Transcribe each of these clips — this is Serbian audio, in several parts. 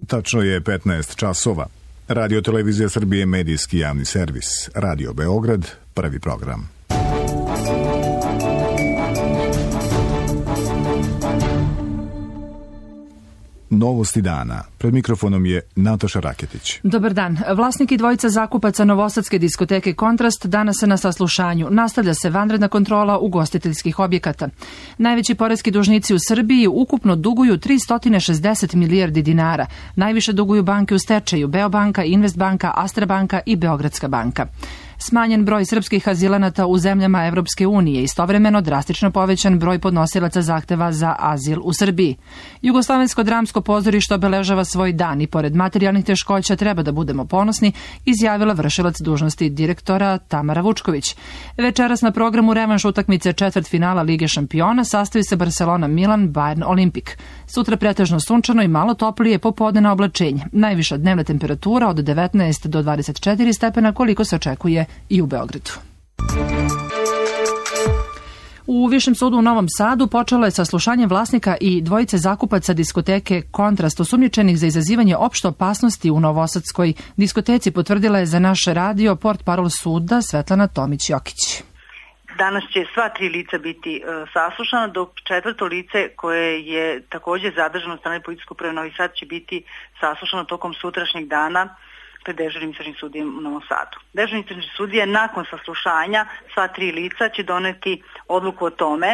Tačno je 15 časova. Radio Televizija Srbije, medijski javni servis. Radio Beograd, prvi program. Novosti dana. Pred mikrofonom je Nataša Raketić. Dobar dan. Vlasnik i dvojica zakupaca novosadske diskoteke Kontrast danas se na saslušanju. Nastavlja se vanredna kontrola ugostiteljskih objekata. Najveći poreski dužnici u Srbiji ukupno duguju 360 milijardi dinara. Najviše duguju banke u stečaju: Beobanka, Investbanka, Astrabanka i Beogradska banka. Smanjen broj srpskih azilanata u zemljama Evropske unije, istovremeno drastično povećan broj podnosilaca zahteva za azil u Srbiji. Jugoslovensko dramsko pozorište obeležava svoj dan i pored materijalnih teškoća treba da budemo ponosni, izjavila vršilac dužnosti direktora Tamara Vučković. Večeras na programu revanš utakmice četvrtfinala Lige šampiona sastoji se Barcelona-Milan, Bayern-Olimpik. Sutra pretežno sunčano i malo toplije popodnevno oblačenje. Najviša dnevna temperatura od 19 do 24 stepena koliko se očekuje i u Beogradu. U Višem sudu u Novom Sadu počelo je saslušanje vlasnika i dvojice zakupaca diskoteke Kontrast, osumnjičenih za izazivanje opšte opasnosti u novosadskoj diskoteci, potvrdila je za naš radio portparol suda Svetlana Tomić-Jokić. Danas će sva tri lica biti saslušana, dok četvrto lice koje je također zadržano od strane policijskog uprave Novi Sad će biti saslušano tokom sutrašnjeg dana pred dežurnim istražnim sudijem u Novom Sadu. Dežurni istražni sudija nakon saslušanja sva tri lica će doneti odluku o tome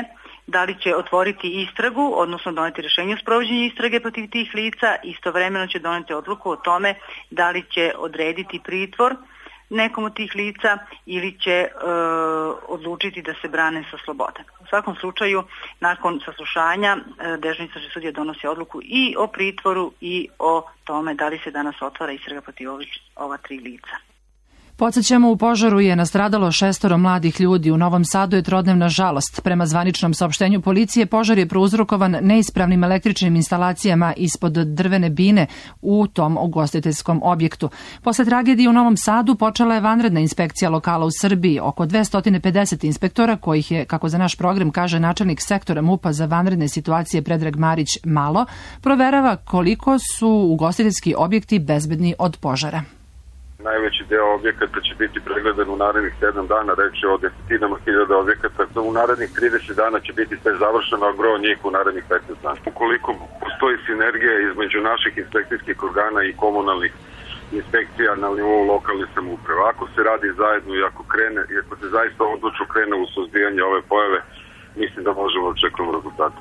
da li će otvoriti istragu, odnosno doneti rješenje o sprovođenju istrage protiv tih lica, istovremeno će doneti odluku o tome da li će odrediti pritvor nekom od tih lica ili će odlučiti da se brane sa slobode. U svakom slučaju, nakon saslušanja, dežurni istražni sudija donosi odluku i o pritvoru i o tome da li se danas otvara istraga protiv ova tri lica. Podsjećamo, u požaru je nastradalo 6 mladih ljudi. U Novom Sadu je trodnevna žalost. Prema zvaničnom saopštenju policije, požar je prouzrokovan neispravnim električnim instalacijama ispod drvene bine u tom ugostiteljskom objektu. Posle tragedije u Novom Sadu počela je vanredna inspekcija lokala u Srbiji. Oko 250 inspektora, kojih je, kako za naš program kaže načelnik sektora MUP-a za vanredne situacije Predrag Marić, malo, proverava koliko su ugostiteljski objekti bezbedni od požara. Najveći deo objekata će biti pregledan u narednih 7 dana, reč je o desetinama hiljada objekata. U narednih 30 dana će biti sve završeno, a gro njih u narednih 15 dana. Ukoliko postoji sinergija između naših inspekcijskih organa i komunalnih inspekcija na nivou lokalne samouprave, ako se radi zajedno i ako se zaista odlučno krene u suzbijanje ove pojave, mislim da možemo očekivati rezultate.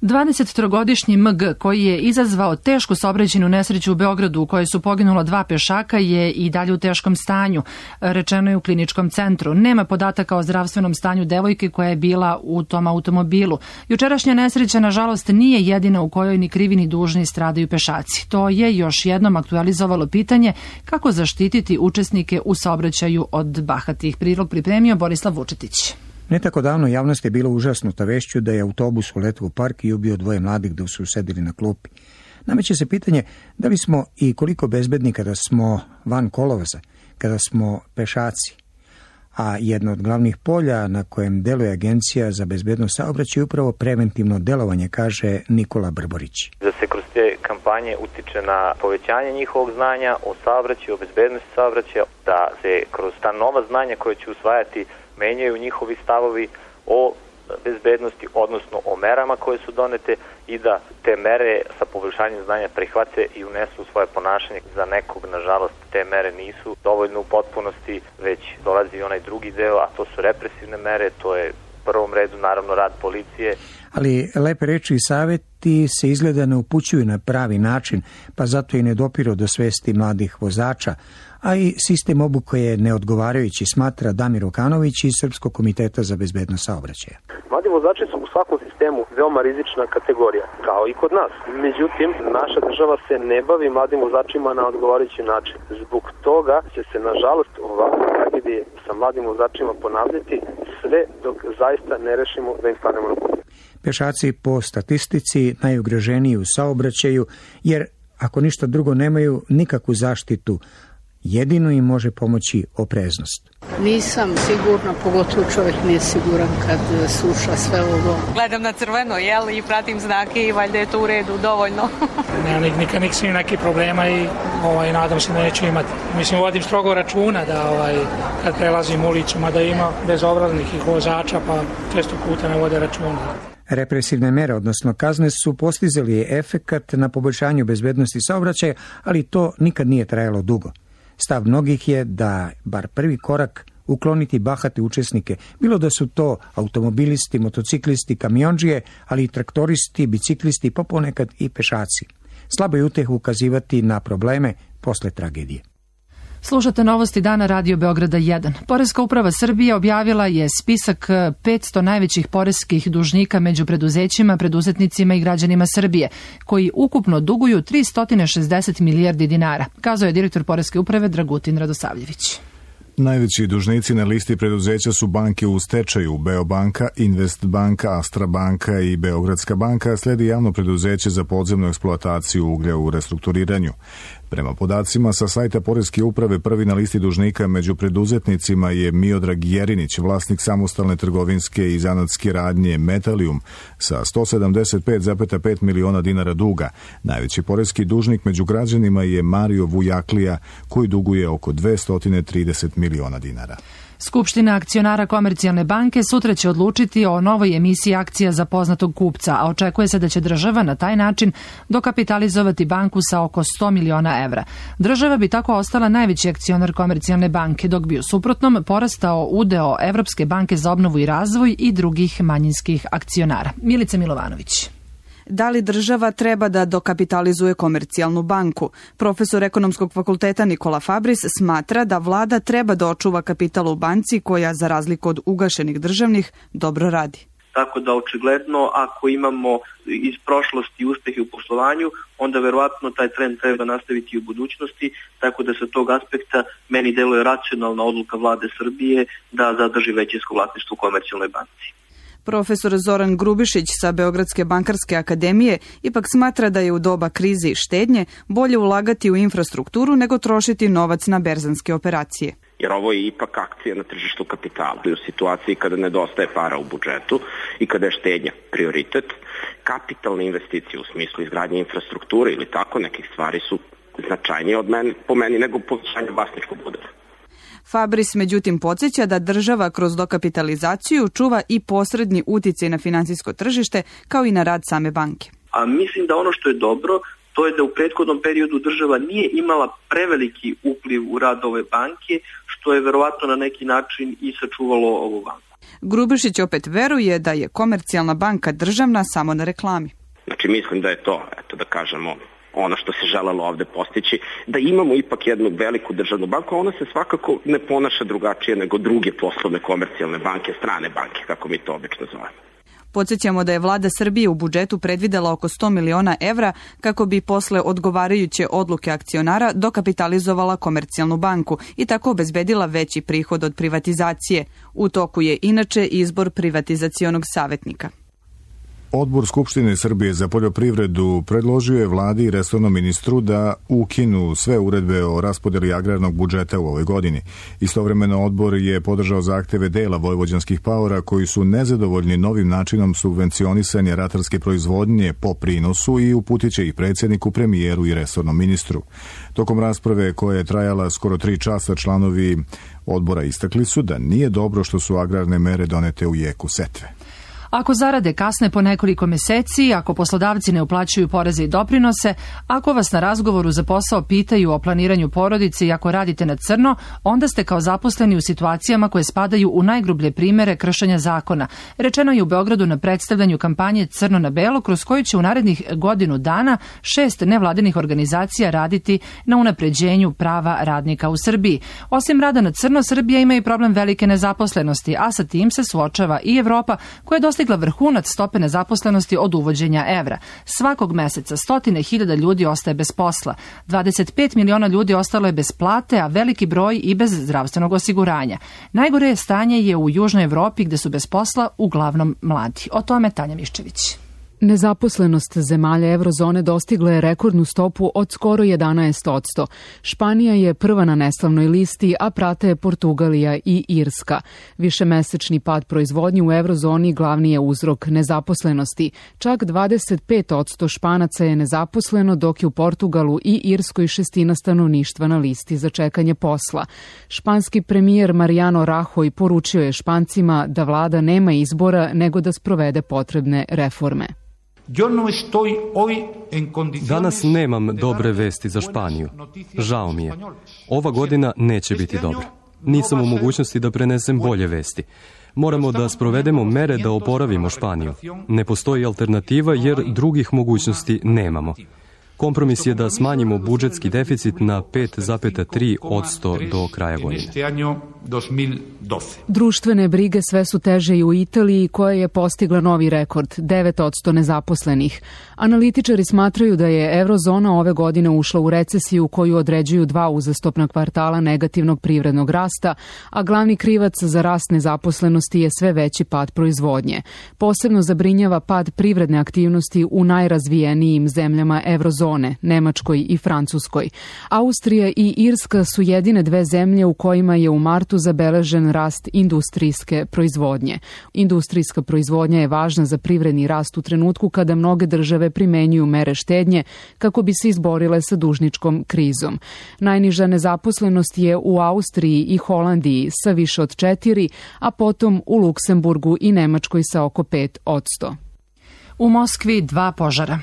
23-godišnji MG, koji je izazvao tešku saobraćajnu nesreću u Beogradu u kojoj su poginula 2 pešaka, je i dalje u teškom stanju, rečeno je u kliničkom centru. Nema podataka o zdravstvenom stanju devojke koja je bila u tom automobilu. Jučerašnja nesreća, nažalost, nije jedina u kojoj ni krivi ni dužni stradaju pešaci. To je još jednom aktualizovalo pitanje kako zaštititi učesnike u saobraćaju od bahatih. Prilog pripremio Borislav Vučetić. Ne tako davno javnost je bila užasnuta vešću da je autobus uletio u park i ubio 2 mladih dok su sedeli na klupi. Nameće se pitanje da li smo i koliko bezbedni kada smo van kolovoza, kada smo pešaci. A jedno od glavnih polja na kojem deluje Agencija za bezbednost saobraćaja je upravo preventivno delovanje, kaže Nikola Brborić. Da se kroz te kampanje utiče na povećanje njihovog znanja o saobraćaju, o bezbednosti saobraćaja, da se kroz ta nova znanja koje će usvajati menjaju njihovi stavovi o bezbednosti, odnosno o merama koje su donete i da te mere sa poboljšanjem znanja prihvate i unesu svoje ponašanje. Za nekog, nažalost, te mere nisu dovoljno u potpunosti, već dolazi i onaj drugi deo, a to su represivne mere, to je u prvom redu naravno rad policije. Ali lepe reči i saveti se izgleda ne upućuju na pravi način, pa zato i ne dopiru do svesti mladih vozača, a i sistem obuke je neodgovarajući, smatra Damir Okanović iz Srpskog komiteta za bezbednost saobraćaja. Mladi vozači su u svakom sistemu veoma rizična kategorija, kao i kod nas. Međutim, naša država se ne bavi mladim vozačima na odgovarajući način. Zbog toga će se, nažalost, ovakve tragedije sa mladim vozačima ponavljati sve dok zaista ne rešimo da im stanemo na put. Pešaci po statistici najugroženiji u saobraćaju, jer ako ništa drugo nemaju nikakvu zaštitu jedino im može pomoći opreznost. Nisam sigurna, pogotovo čovjek nije siguran kad sluša sve ovo. Gledam na crveno, i pratim znake i valjda je to u redu, dovoljno. Nikad nisam nekih problema i nadam se da neću imati. Mislim, vodim strogo računa da kad prelazim ulicu, mada ima bezobraznih i vozača, pa često puta ne vode računa. Represivne mere, odnosno kazne, su postizali efekat na poboljšanju bezbednosti saobraćaja, ali to nikad nije trajalo dugo. Stav mnogih je da bar prvi korak ukloniti bahate učesnike, bilo da su to automobilisti, motociklisti, kamiondžije, ali i traktoristi, biciklisti, pa ponekad i pešaci. Slabo je uteh ukazivati na probleme posle tragedije. Slušate novosti dana Radio Beograda 1. Poreska uprava Srbije objavila je spisak 500 najvećih poreskih dužnika među preduzećima, preduzetnicima i građanima Srbije, koji ukupno duguju 360 milijardi dinara, kazao je direktor Poreske uprave Dragutin Radosavljević. Najveći dužnici na listi preduzeća su banke u stečaju, Beobanka, Investbanka, Astra banka i Beogradska banka, sledi javno preduzeće za podzemnu eksploataciju uglja u restrukturiranju. Prema podacima sa sajta Poreske uprave, prvi na listi dužnika među preduzetnicima je Miodrag Jerinić, vlasnik samostalne trgovinske i zanatske radnje Metalium sa 175,5 miliona dinara duga. Najveći poreski dužnik među građanima je Mario Vujaklija, koji duguje oko 230 miliona dinara. Skupština akcionara Komercijalne banke sutra će odlučiti o novoj emisiji akcija za poznatog kupca, a očekuje se da će država na taj način dokapitalizovati banku sa oko 100 miliona evra. Država bi tako ostala najveći akcionar Komercijalne banke, dok bi u suprotnom porastao udeo Evropske banke za obnovu i razvoj i drugih manjinskih akcionara. Milica Milovanović. Da li država treba da dokapitalizuje Komercijalnu banku? Profesor Ekonomskog fakulteta Nikola Fabris smatra da vlada treba da očuva kapital u banci koja, za razliku od ugašenih državnih, dobro radi. Tako da očigledno ako imamo iz prošlosti uspehe u poslovanju, onda verovatno taj trend treba nastaviti u budućnosti, tako da sa tog aspekta meni deluje racionalna odluka vlade Srbije da zadrži većinsko vlasništvo u Komercijalnoj banci. Profesor Zoran Grubišić sa Beogradske bankarske akademije ipak smatra da je u doba krize i štednje bolje ulagati u infrastrukturu nego trošiti novac na berzanske operacije. Jer ovo je ipak akcija na tržištu kapitala. U situaciji kada nedostaje para u budžetu i kada je štednja prioritet, kapitalne investicije u smislu izgradnje infrastrukture ili tako nekih stvari su značajnije po meni nego povećanje vlasničkog udela. Fabris međutim podsjeća da država kroz dokapitalizaciju čuva i posredni uticaj na finansijsko tržište kao i na rad same banke. A mislim da ono što je dobro, to je da u prethodnom periodu država nije imala preveliki upliv u rad ove banke, što je verovatno na neki način i sačuvalo ovu banku. Grubišić opet veruje da je Komercijalna banka državna samo na reklami. Znači mislim da je to, da kažemo, ono što se želelo ovde postići, da imamo ipak jednu veliku državnu banku, a ona se svakako ne ponaša drugačije nego druge poslovne komercijalne banke, strane banke, kako mi to obično zovemo. Podsjećamo da je vlada Srbije u budžetu predvidela oko 100 miliona evra kako bi posle odgovarajuće odluke akcionara dokapitalizovala Komercijalnu banku i tako obezbedila veći prihod od privatizacije. U toku je inače izbor privatizacionog savjetnika. Odbor Skupštine Srbije za poljoprivredu predložio je vladi i resornom ministru da ukinu sve uredbe o raspodeli agrarnog budžeta u ovoj godini. Istovremeno odbor je podržao zahteve dela vojvođanskih paora koji su nezadovoljni novim načinom subvencionisanja ratarske proizvodnje po prinosu i uputiće ih predsjedniku, premijeru i resornom ministru. Tokom rasprave koja je trajala skoro 3 časa, članovi odbora istakli su da nije dobro što su agrarne mere donete u jeku setve. Ako zarade kasne po nekoliko meseci, ako poslodavci ne uplaćuju poreze i doprinose, ako vas na razgovoru za posao pitaju o planiranju porodice i ako radite na crno, onda ste kao zaposleni u situacijama koje spadaju u najgrublje primere kršenja zakona. Rečeno je u Beogradu na predstavljanju kampanje Crno na belo, kroz koju će u narednih godinu dana 6 nevladinih organizacija raditi na unapređenju prava radnika u Srbiji. Osim rada na crno, Srbija ima i problem velike nezaposlenosti, a sa tim se suočava i Evropa, koja je dostigla vrhunac stope nezaposlenosti od uvođenja evra. Svakog meseca 100.000 ljudi ostaje bez posla, 25 miliona ljudi ostalo je bez plate, a veliki broj i bez zdravstvenog osiguranja. Najgore stanje je u Južnoj Evropi gde su bez posla uglavnom mladi. O tome Tanja Miščević. Nezaposlenost zemalja eurozone dostigla je rekordnu stopu od skoro 11%. Španija je prva na neslavnoj listi, a prate je Portugalija i Irska. Višemesečni pad proizvodnje u eurozoni glavni je uzrok nezaposlenosti. Čak 25% Španaca je nezaposleno, dok je u Portugalu i Irskoj šestina stanovništva na listi za čekanje posla. Španski premijer Mariano Rajoy poručio je Špancima da vlada nema izbora nego da sprovede potrebne reforme. Danas nemam dobre vesti za Španiju. Žao mi je. Ova godina neće biti dobra. Nisam u mogućnosti da prenesem bolje vesti. Moramo da sprovedemo mere da oporavimo Španiju. Ne postoji alternativa jer drugih mogućnosti nemamo. Kompromis je da smanjimo budžetski deficit na 5,3% do kraja godine. Društvene brige sve su teže i u Italiji, koja je postigla novi rekord, 9% nezaposlenih. Analitičari smatraju da je eurozona ove godine ušla u recesiju koju određuju 2 uzastopna kvartala negativnog privrednog rasta, a glavni krivac za rast nezaposlenosti je sve veći pad proizvodnje. Posebno zabrinjava pad privredne aktivnosti u najrazvijenijim zemljama eurozone, Nemačkoj i Francuskoj. Austrija i Irska su jedine 2 zemlje u kojima je u martu zabeležen rast industrijske proizvodnje. Industrijska proizvodnja je važna za privredni rast u trenutku kada mnoge države primenjuju mere štednje kako bi se izborile sa dužničkom krizom. Najniža nezaposlenost je u Austriji i Holandiji sa više od 4%, a potom u Luksemburgu i Nemačkoj sa oko 5%. U Moskvi 2 požara.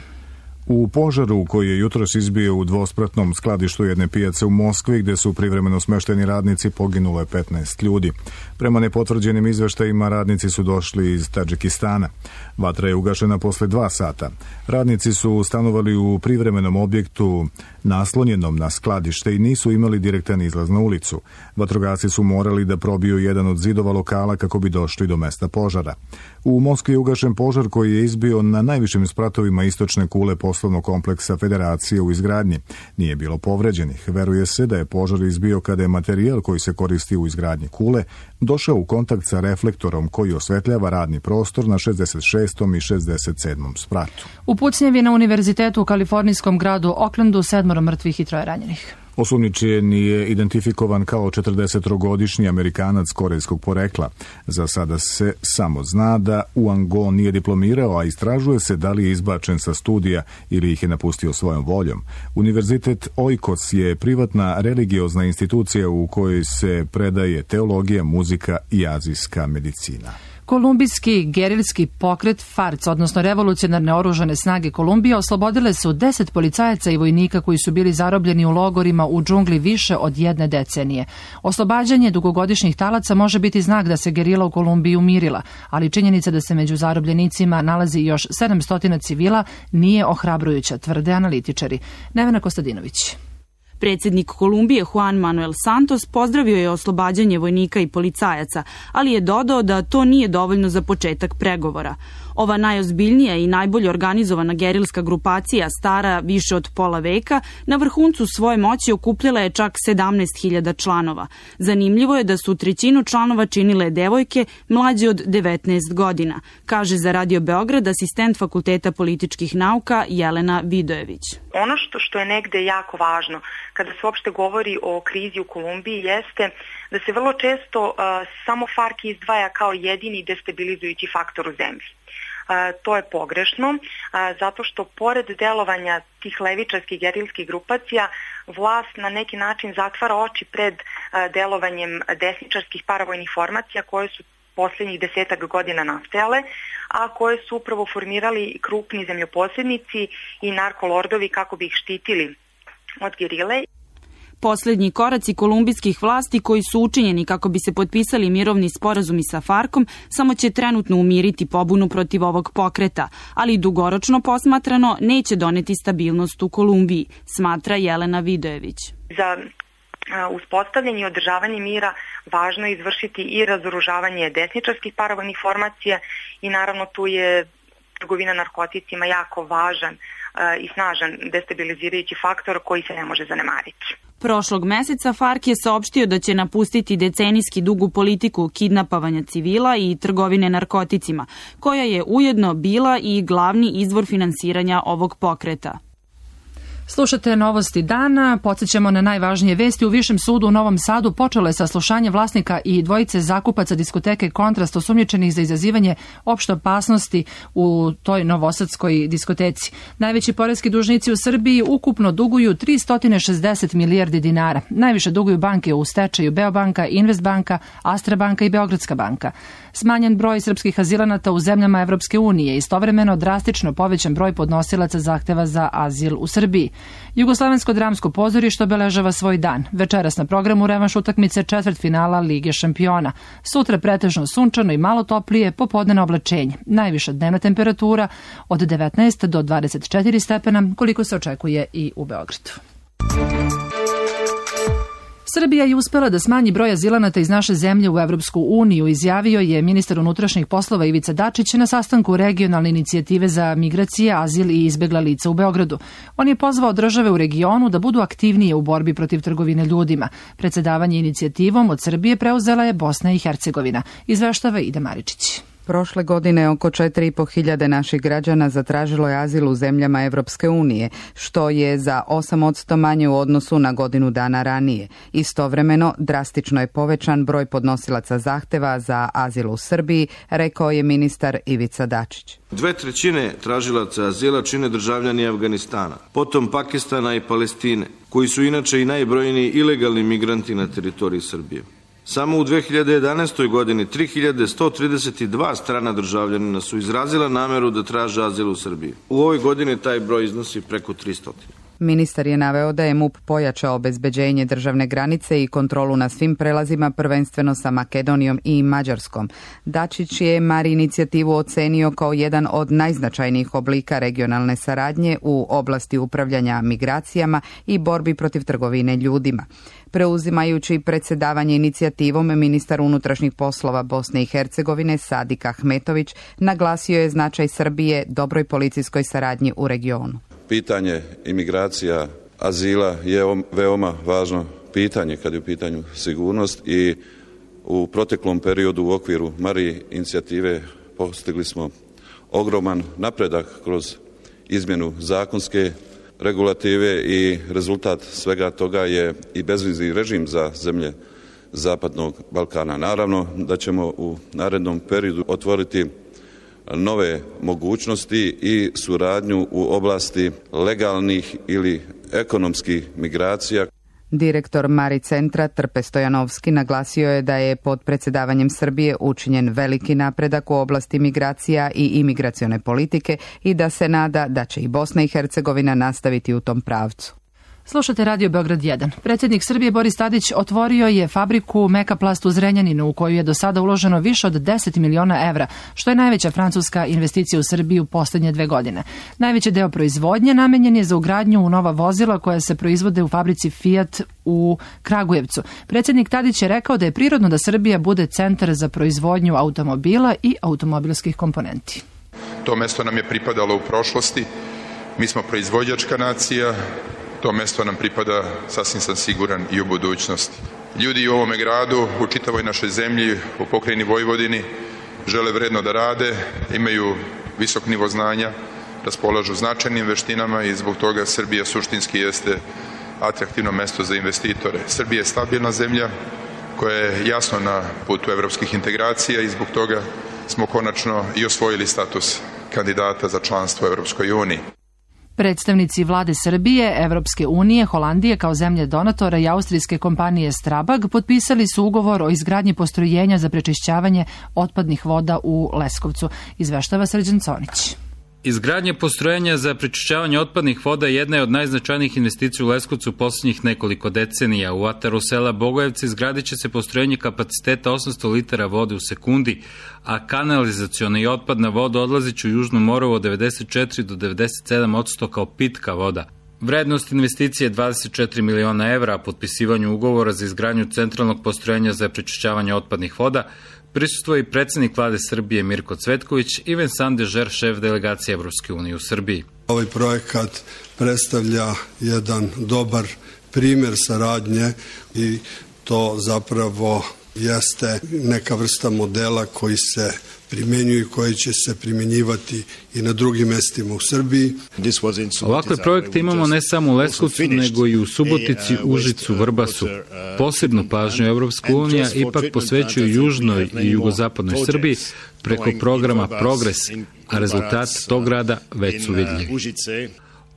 U požaru koji je jutros izbio u dvospratnom skladištu jedne pijace u Moskvi, gde su privremeno smešteni radnici, poginulo je 15 ljudi. Prema nepotvrđenim izveštajima, radnici su došli iz Tadžikistana. Vatra je ugašena posle 2 sata. Radnici su stanovali u privremenom objektu naslonjenom na skladište i nisu imali direktan izlaz na ulicu. Vatrogasci su morali da probiju jedan od zidova lokala kako bi došli do mesta požara. U Moskvi je ugašen požar koji je izbio na najvišim spratovima istočne kule poslovnog kompleksa Federacije u izgradnji. Nije bilo povređenih. Veruje se da je požar izbio kada je materijal koji se koristi u izgradnji kule došao u kontakt sa reflektorom koji osvetljava radni prostor na 66. i 67. spratu. U pucnjevi na univerzitetu u kalifornijskom gradu Oaklandu 7 mrtvih i 3 ranjenih. Osumnjičen je identifikovan kao 40-godišnji Amerikanac korejskog porekla. Za sada se samo zna da Uango nije diplomirao, a istražuje se da li je izbačen sa studija ili ih je napustio svojom voljom. Univerzitet Oikos je privatna religiozna institucija u kojoj se predaje teologija, muzika i azijska medicina. Kolumbijski gerilski pokret FARC, odnosno revolucionarne oružane snage Kolumbije, oslobodile su 10 policajaca i vojnika koji su bili zarobljeni u logorima u džungli više od 1 decenije. Oslobađanje dugogodišnjih talaca može biti znak da se gerila u Kolumbiji umirila, ali činjenica da se među zarobljenicima nalazi još 700 civila nije ohrabrujuća, tvrde analitičari. Nevena Kostadinović. Predsjednik Kolumbije Juan Manuel Santos pozdravio je oslobađanje vojnika i policajaca, ali je dodao da to nije dovoljno za početak pregovora. Ova najozbiljnija i najbolje organizovana gerilska grupacija, stara više od pola veka, na vrhuncu svoje moći okupljala je čak 17.000 članova. Zanimljivo je da su 1/3 članova činile devojke mlađe od 19 godina, kaže za Radio Beograd asistent Fakulteta političkih nauka Jelena Vidojević. Ono što je negde jako važno kada se uopšte govori o krizi u Kolumbiji jeste da se vrlo često samo FARC izdvaja kao jedini destabilizujući faktor u zemlji. To je pogrešno, zato što pored delovanja tih levičarskih gerilskih grupacija, vlast na neki način zatvara oči pred delovanjem desničarskih paravojnih formacija koje su posljednjih 10 godina nastajale, a koje su upravo formirali krupni zemljoposjednici i narkolordovi kako bi ih štitili od gerile. Poslednji koraci kolumbijskih vlasti koji su učinjeni kako bi se potpisali mirovni sporazumi sa FARC-om samo će trenutno umiriti pobunu protiv ovog pokreta, ali dugoročno posmatrano neće doneti stabilnost u Kolumbiji, smatra Jelena Vidojević. Za uspostavljanje i održavanje mira važno je izvršiti i razoružavanje desničarskih paravojnih formacija i naravno tu je trgovina narkoticima jako važan i snažan destabilizirajući faktor koji se ne može zanemariti. Prošlog meseca FARC je saopštio da će napustiti decenijski dugu politiku kidnapovanja civila i trgovine narkoticima, koja je ujedno bila i glavni izvor finansiranja ovog pokreta. Slušate novosti dana, podsjećamo na najvažnije vesti. U Višem sudu u Novom Sadu počelo je saslušanje vlasnika i dvojice zakupaca diskoteke Kontrast osumnjičenih za izazivanje opšte opasnosti u toj novosadskoj diskoteci. Najveći poreski dužnici u Srbiji ukupno duguju 360 milijardi dinara. Najviše duguju banke u stečaju Beobanka, Investbanka, Astra banka i Beogradska banka. Smanjen broj srpskih azilanata u zemljama Evropske unije, istovremeno drastično povećan broj podnosilaca zahteva za azil u Srbiji. Jugoslovensko dramsko pozorište obeležava svoj dan. Večeras na programu revanš utakmice četvrtfinala Lige šampiona. Sutra pretežno sunčano i malo toplije, popodnevno oblačenje. Najviša dnevna temperatura od 19 do 24 stepena, koliko se očekuje i u Beogradu. Srbija je uspela da smanji broj azilanata iz naše zemlje u Evropsku uniju, izjavio je ministar unutrašnjih poslova Ivica Dačić na sastanku regionalne inicijative za migracije, azil i izbegla lica u Beogradu. On je pozvao države u regionu da budu aktivnije u borbi protiv trgovine ljudima. Predsedavanje inicijativom od Srbije preuzela je Bosna i Hercegovina. Izveštava Ida Maričić. Prošle godine oko 4.500 naših građana zatražilo je azil u zemljama Evropske unije, što je za 8% manje u odnosu na godinu dana ranije. Istovremeno, drastično je povećan broj podnosilaca zahteva za azil u Srbiji, rekao je ministar Ivica Dačić. 2/3 tražilaca azila čine državljani Afganistana, potom Pakistana i Palestine, koji su inače i najbrojniji ilegalni migranti na teritoriji Srbije. Samo u 2011. godini 3132 strana državljanina su izrazila nameru da traže azil u Srbiji. U ovoj godini taj broj iznosi preko 300. Ministar je naveo da je MUP pojačao obezbeđenje državne granice i kontrolu na svim prelazima, prvenstveno sa Makedonijom i Mađarskom. Dačić je Mari inicijativu ocenio kao jedan od najznačajnijih oblika regionalne saradnje u oblasti upravljanja migracijama i borbi protiv trgovine ljudima. Preuzimajući predsjedavanje inicijativom, ministar unutrašnjih poslova Bosne i Hercegovine Sadik Ahmetović naglasio je značaj Srbije dobroj policijskoj saradnji u regionu. Pitanje imigracija, azila je veoma važno pitanje kad je u pitanju sigurnost i u proteklom periodu u okviru Mari inicijative postigli smo ogroman napredak kroz izmjenu zakonske regulative i rezultat svega toga je i bezvizni režim za zemlje Zapadnog Balkana. Naravno da ćemo u narednom periodu otvoriti nove mogućnosti i suradnju u oblasti legalnih ili ekonomskih migracija. Direktor Mari centra Trpe Stojanovski naglasio je da je pod predsjedavanjem Srbije učinjen veliki napredak u oblasti migracija i imigracione politike i da se nada da će i Bosna i Hercegovina nastaviti u tom pravcu. Slušate Radio Beograd 1. Predsjednik Srbije Boris Tadić otvorio je fabriku Mekaplast u Zrenjaninu u koju je do sada uloženo više od 10 miliona evra, što je najveća francuska investicija u Srbiji u posljednje 2 godine. Najveći deo proizvodnje namenjen je za ugradnju u nova vozila koja se proizvode u fabrici Fiat u Kragujevcu. Predsjednik Tadić je rekao da je prirodno da Srbija bude centar za proizvodnju automobila i automobilskih komponenti. To mesto nam je pripadalo u prošlosti. Mi smo proizvođačka nacija. To mesto nam pripada, sasvim sam siguran, i u budućnosti. Ljudi u ovome gradu, u čitavoj našoj zemlji, u pokrajini Vojvodini, žele vredno da rade, imaju visok nivo znanja, raspolažu značajnim veštinama i zbog toga Srbija suštinski jeste atraktivno mesto za investitore. Srbija je stabilna zemlja koja je jasno na putu evropskih integracija i zbog toga smo konačno i osvojili status kandidata za članstvo u Evropskoj uniji. Predstavnici vlade Srbije, Evropske unije, Holandije kao zemlje donatora i austrijske kompanije Strabag potpisali su ugovor o izgradnji postrojenja za prečišćavanje otpadnih voda u Leskovcu, izveštava Srđan Conić. Izgradnja postrojenja za prečišćavanje otpadnih voda jedna je od najznačajnijih investicija u Leskovcu u posljednjih nekoliko decenija. U ataru sela Bogojevci izgradit će se postrojenje kapaciteta 800 litara vode u sekundi, a kanalizaciona i otpadna voda odlazit će u Južnu Moravu od 94 do 97% kao pitka voda. Vrednost investicije je 24 miliona evra, a potpisivanju ugovora za izgradnju centralnog postrojenja za prečišćavanje otpadnih voda prisustvuje i predsjednik vlade Srbije Mirko Cvetković i Vincent Dežer, šef delegacije Evropske unije u Srbiji. Ovaj projekat predstavlja jedan dobar primer saradnje i to zapravo jeste neka vrsta modela koji se primenjuju i koji će se primjenjivati i na drugim mestima u Srbiji. Ovakve projekte imamo ne samo u Leskovcu, nego i u Subotici, Užicu, Vrbasu. Posebnu pažnju Evropska unija ipak posvećuje južnoj i jugozapadnoj Srbiji preko programa Progres, a rezultati tog rada već su vidljivi.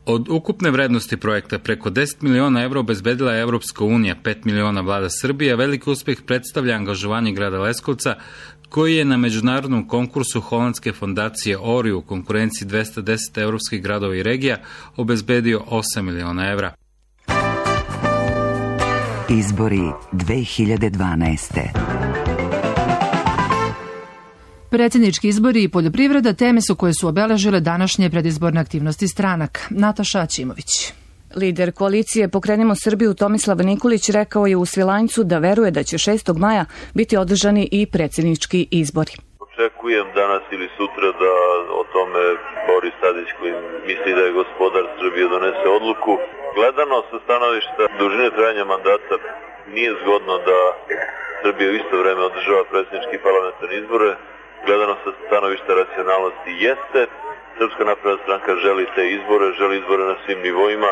Od ukupne vrednosti projekta preko 10 miliona evra obezbedila je Evropska unija, 5 miliona vlada Srbije, a veliki uspeh predstavlja angažovanje grada Leskovca, koji je na međunarodnom konkursu holandske fondacije ORI u konkurenciji 210 evropskih gradova i regija obezbedio 8 miliona evra. Izbori 2012. Predsjednički izbori i poljoprivreda teme su koje su obeležile današnje predizborne aktivnosti stranaka. Nataša Ćimović. Lider koalicije Pokrenimo Srbiju Tomislav Nikolić rekao je u Svilajncu da veruje da će 6. maja biti održani i predsjednički izbori. Očekujem danas ili sutra da o tome Boris Tadić, koji misli da je gospodar Srbije, donese odluku. Gledano sa stanovišta dužine trajanja mandata nije zgodno da Srbija u isto vreme održava predsjednički parlamentarne izbore. Gledano sa stanovišta racionalnosti jeste. Srpska napredna stranka želi te izbore, želi izbore na svim nivoima.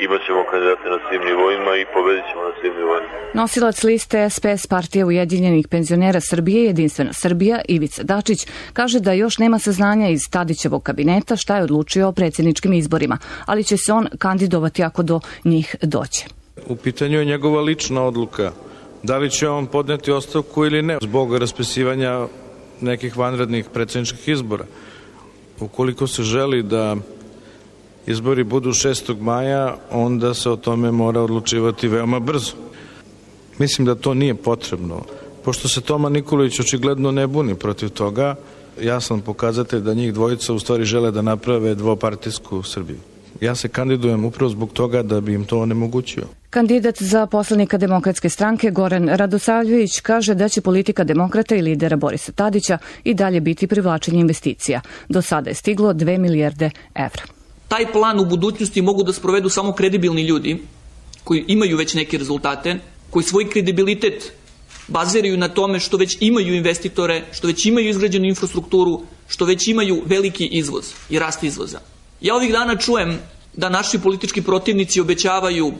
Imaćemo kandidate na svim nivoima i pobedit ćemo na svim nivoima. Nosilac liste SPS Partije Ujedinjenih penzionera Srbije, Jedinstvena Srbija, Ivica Dačić, kaže da još nema saznanja iz Tadićevog kabineta šta je odlučio o predsjedničkim izborima, ali će se on kandidovati ako do njih dođe. U pitanju je njegova lična odluka. Da li će on podneti ostavku ili ne zbog raspisivanja nekih vanrednih predsjedničkih izbora. Ukoliko se želi da izbori budu 6. maja, onda se o tome mora odlučivati veoma brzo. Mislim da to nije potrebno. Pošto se Toma Nikolić očigledno ne buni protiv toga, jasan pokazatelj da njih dvojica u stvari žele da naprave dvopartijsku Srbiju. Ja se kandidujem upravo zbog toga da bi im to onemogućio. Kandidat za poslanika Demokratske stranke Goran Radosavljević kaže da će politika demokrata i lidera Borisa Tadića i dalje biti privlačenje investicija. Do sada je stiglo 2 milijarde evra. Taj plan u budućnosti mogu da sprovedu samo kredibilni ljudi koji imaju već neke rezultate, koji svoj kredibilitet baziraju na tome što već imaju investitore, što već imaju izgrađenu infrastrukturu, što već imaju veliki izvoz i rast izvoza. Ja ovih dana čujem da naši politički protivnici obećavaju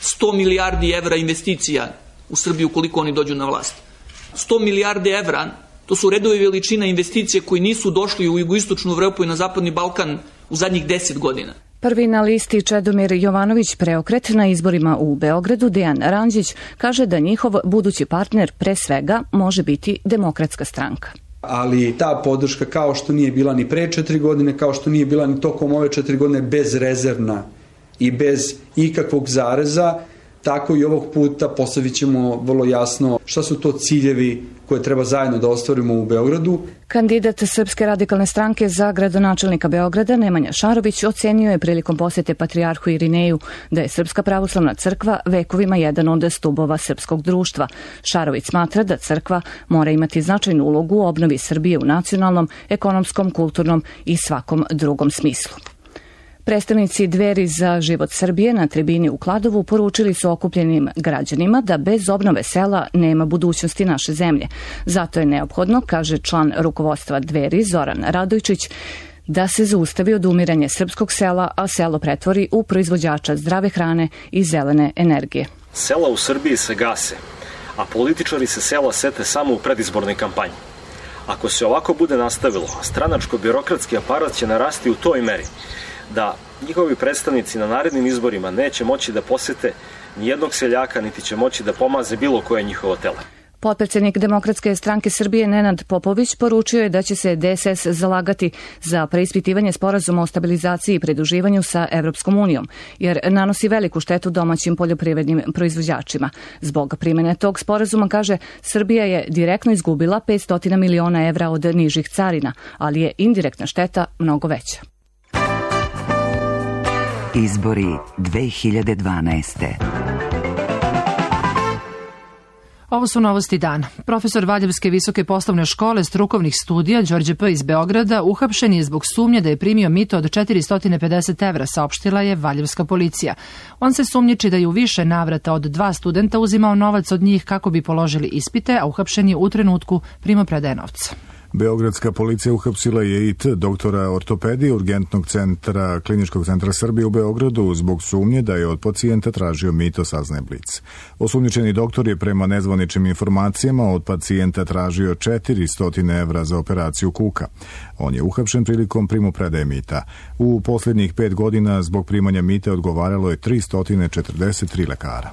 100 milijardi evra investicija u Srbiju koliko oni dođu na vlast. 100 milijardi evra, to su redovi veličina investicije koji nisu došli u jugoistočnu Evropu i na zapadni Balkan u zadnjih 10 godina. Prvi na listi Čedomir Jovanović Preokret na izborima u Beogradu, Dejan Randžić, kaže da njihov budući partner pre svega može biti Demokratska stranka. Ali ta podrška, kao što nije bila ni pre 4 godine, kao što nije bila ni tokom ove 4 godine, bezrezervna i bez ikakvog zareza, tako i ovog puta postavit ćemo vrlo jasno šta su to ciljevi koje treba zajedno da ostvarimo u Beogradu. Kandidat Srpske radikalne stranke za gradonačelnika Beograda, Nemanja Šarović, ocenio je prilikom posete patrijarhu Irineju da je Srpska pravoslavna crkva vekovima jedan od stubova srpskog društva. Šarović smatra da crkva mora imati značajnu ulogu u obnovi Srbije u nacionalnom, ekonomskom, kulturnom i svakom drugom smislu. Predstavnici Dveri za život Srbije na tribini u Kladovu poručili su okupljenim građanima da bez obnove sela nema budućnosti naše zemlje. Zato je neophodno, kaže član rukovodstva Dveri Zoran Radojčić, da se zaustavi odumiranje srpskog sela, a selo pretvori u proizvođača zdrave hrane i zelene energije. Sela u Srbiji se gase, a političari se sela sete samo u predizbornoj kampanji. Ako se ovako bude nastavilo, stranačko-birokratski aparat će narasti u toj meri da njihovi predstavnici na narednim izborima neće moći da posete nijednog seljaka, niti će moći da pomaze bilo koje njihovo tele. Potpredsjednik Demokratske stranke Srbije Nenad Popović poručio je da će se DSS zalagati za preispitivanje sporazuma o stabilizaciji i pridruživanju sa Evropskom unijom, jer nanosi veliku štetu domaćim poljoprivrednim proizvođačima. Zbog primene tog sporazuma, kaže, Srbija je direktno izgubila 500 miliona evra od nižih carina, ali je indirektna šteta mnogo veća. Izbori 2012. Ovo su novosti dana. Profesor Valjevske visoke poslovne škole strukovnih studija Đorđe P. iz Beograda uhapšen je zbog sumnje da je primio mito od 450 evra, saopštila je Valjevska policija. On se sumnjiči da je u više navrata od 2 studenta uzimao novac od njih kako bi položili ispite, a uhapšen je u trenutku primopredaje novca. Beogradska policija uhapsila je i doktora ortopedije Urgentnog centra Kliničkog centra Srbije u Beogradu zbog sumnje da je od pacijenta tražio mito, saznaje Blic. Osumnjičeni doktor je prema nezvaničnim informacijama od pacijenta tražio 400 evra za operaciju kuka. On je uhapšen prilikom primopredaje mita. U posljednjih 5 godina zbog primanja mita odgovaralo je 343 lekara.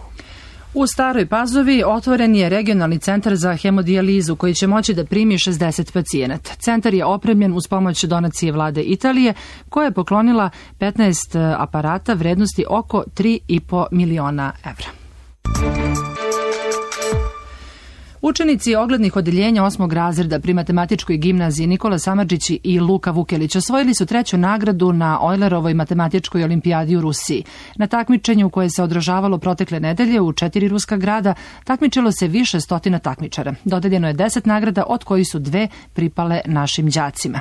U Staroj Pazovi otvoren je regionalni centar za hemodijalizu koji će moći da primi 60 pacijenata. Centar je opremljen uz pomoć donacije vlade Italije koja je poklonila 15 aparata vrednosti oko 3,5 miliona evra. Učenici oglednih odeljenja 8. razreda pri matematičkoj gimnaziji Nikola Samardžić i Luka Vukelić osvojili su 3. nagradu na Eulerovoj matematičkoj olimpijadi u Rusiji. Na takmičenju koje se održavalo protekle nedelje u 4 ruska grada takmičilo se više stotina takmičara. Dodeljeno je 10 nagrada, od kojih su 2 pripale našim đacima.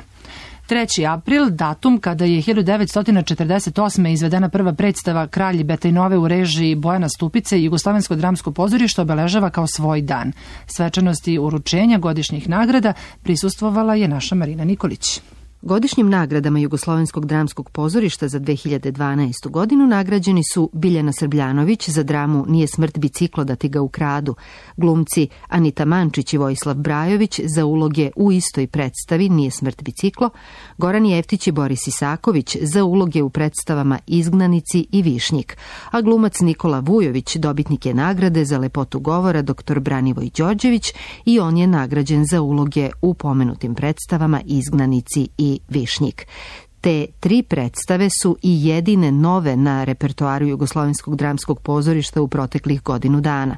3. april, datum kada je 1948. izvedena prva predstava Kralji Betajnove u režiji Bojana Stupice i Jugoslovensko dramsko pozorište obeležava kao svoj dan. Svečanosti uručenja godišnjih nagrada prisustvovala je naša Marina Nikolić. Godišnjim nagradama Jugoslovenskog dramskog pozorišta za 2012. godinu nagrađeni su Biljana Srbljanović za dramu Nije smrt biciklo da ti ga ukradu, glumci Anita Mančić i Vojislav Brajović za uloge u istoj predstavi Nije smrt biciklo, Goran Jeftić i Boris Isaković za uloge u predstavama Izgnanici i Višnjik, a glumac Nikola Vujović dobitnik je nagrade za lepotu govora dr. Branivoj Đorđević i on je nagrađen za uloge u pomenutim predstavama Izgnanici i Višnjik. Te 3 predstave su i jedine nove na repertoaru Jugoslovenskog dramskog pozorišta u proteklih godinu dana.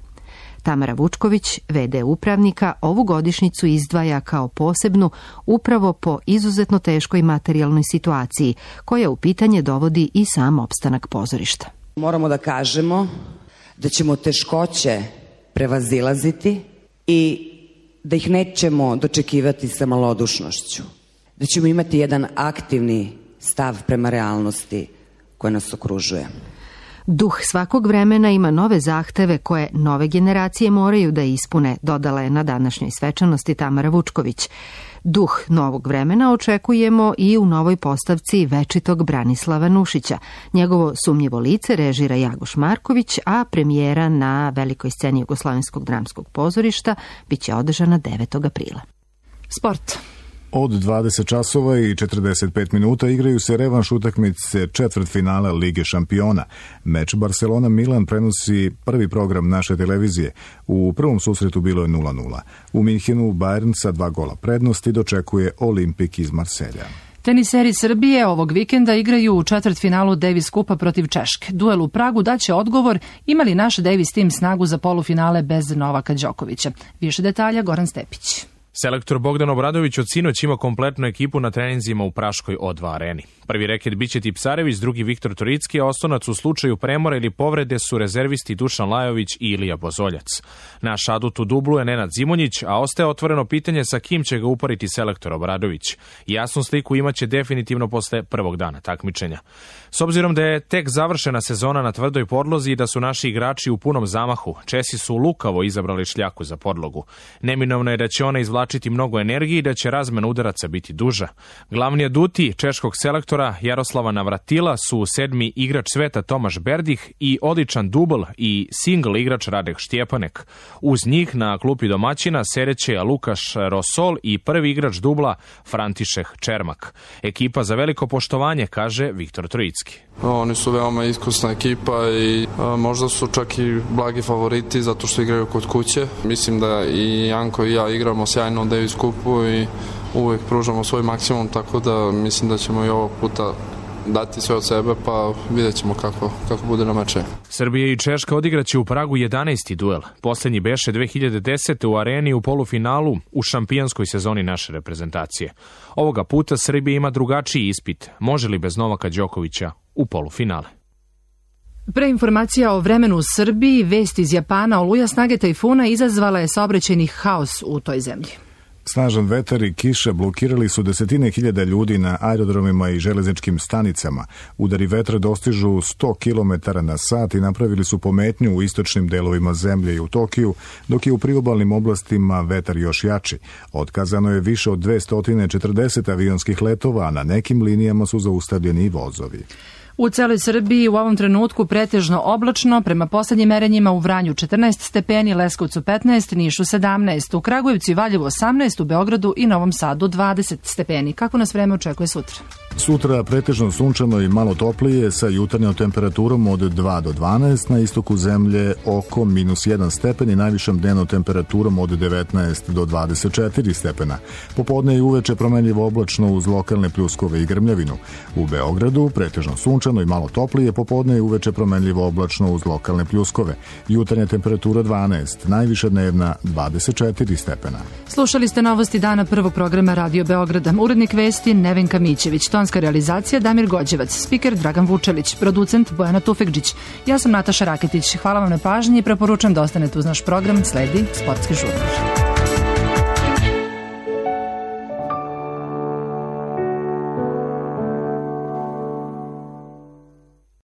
Tamara Vučković, v.d. upravnika, ovu godišnjicu izdvaja kao posebnu upravo po izuzetno teškoj materijalnoj situaciji, koja u pitanje dovodi i sam opstanak pozorišta. Moramo da kažemo da ćemo teškoće prevazilaziti i da ih nećemo dočekivati sa malodušnošću. Da ćemo imati jedan aktivni stav prema realnosti koja nas okružuje. Duh svakog vremena ima nove zahteve koje nove generacije moraju da ispune, dodala je na današnjoj svečanosti Tamara Vučković. Duh novog vremena očekujemo i u novoj postavci večitog Branislava Nušića. Njegovo sumnjivo lice režira Jagoš Marković, a premijera na velikoj sceni Jugoslovenskog dramskog pozorišta biće održana 9. aprila. Sport. Od 20 časova i 45 minuta igraju se revanš utakmice četvrtfinala Lige šampiona. Meč Barcelona-Milan prenosi prvi program naše televizije. U prvom susretu bilo je 0:0. U Minhenu Bayern sa 2 gola prednosti dočekuje Olimpik iz Marselja. Teniseri Srbije ovog vikenda igraju u četvrtfinalu Davis Kupa protiv Češke. Duel u Pragu daće odgovor ima li naš Davis tim snagu za polufinale bez Novaka Đokovića. Više detalja Goran Stepić. Selektor Bogdan Obradović od sinoć ima kompletnu ekipu na treninzima u Praškoj O2 areni. Prvi reket biće Tipsarević, drugi Viktor Toricki, a oslonac u slučaju premora ili povrede su rezervisti Dušan Lajović i Ilija Bozoljac. Naš adut u dublu je Nenad Zimonjić, a ostaje otvoreno pitanje sa kim će ga upariti selektor Obradović. Jasnu sliku imaće definitivno posle prvog dana takmičenja. S obzirom da je tek završena sezona na tvrdoj podlozi i da su naši igrači u punom zamahu, Česi su lukavo izabrali šljaku za podlogu. Neminovno je da će ona izvlačiti mnogo energije i da će razmena udaraca biti duža. Glavni aduti češkog selektora Jaroslava Navratila su 7. igrač sveta Tomaš Berdih i odličan dubl i single igrač Radek Štjepanek. Uz njih na klupi domaćina sedeće Lukaš Rosol i prvi igrač dubla František Čermak. Ekipa za veliko poštovanje, kaže Viktor Trojicki. Oni su veoma iskusna ekipa i možda su čak i blagi favoriti zato što igraju kod kuće. Mislim da i Janko i ja igramo sjajno u Davis Kupu i uvek pružamo svoj maksimum, tako da mislim da ćemo i ovog puta dati sve od sebe, pa vidjet ćemo kako bude na meče. Srbija i Češka odigraće u Pragu 11. duel. Poslednji beše 2010. u areni u polufinalu u šampijonskoj sezoni naše reprezentacije. Ovoga puta Srbija ima drugačiji ispit. Može li bez Novaka Đokovića u polufinale? Pre informacija o vremenu u Srbiji, vest iz Japana, oluja snage tajfuna izazvala je saobraćajni haos u toj zemlji. Snažan vetar i kiša blokirali su desetine hiljada ljudi na aerodromima i železničkim stanicama. Udari vetra dostižu 100 km na sat i napravili su pometnju u istočnim delovima zemlje i u Tokiju, dok je u priobalnim oblastima vetar još jači. Otkazano je više od 240 avionskih letova, a na nekim linijama su zaustavljeni i vozovi. U celoj Srbiji u ovom trenutku pretežno oblačno, prema poslednjim merenjima u Vranju 14 stepeni, Leskovcu 15, Nišu 17, u Kragujevcu i Valjevu 18, u Beogradu i Novom Sadu 20 stepeni. Kako nas vreme očekuje sutra? Sutra pretežno sunčano i malo toplije sa jutarnjom temperaturom od 2 do 12, na istoku zemlje oko -1 stepen i najvišom dnevnom temperaturom od 19 do 24 stepena. Popodne i uveče promenljivo oblačno uz lokalne pljuskove i grmljavinu. U Beogradu pretežno sunčano i malo toplije, popodne i uveče promenljivo oblačno uz lokalne pljuskove. Jutarnja temperatura 12, najviša dnevna 24 stepena. Slušali ste novosti dana prvog programa Radio Beograda. Urednik vesti Nevenka Mićević, tonska realizacija Damir Gođevac, spiker Dragan Vučelić, producent Bojana Tufekđić. Ja sam Nataša Raketić. Hvala vam na pažnji i preporučujem da ostanete uz naš program. Sledi Sportski žurnar.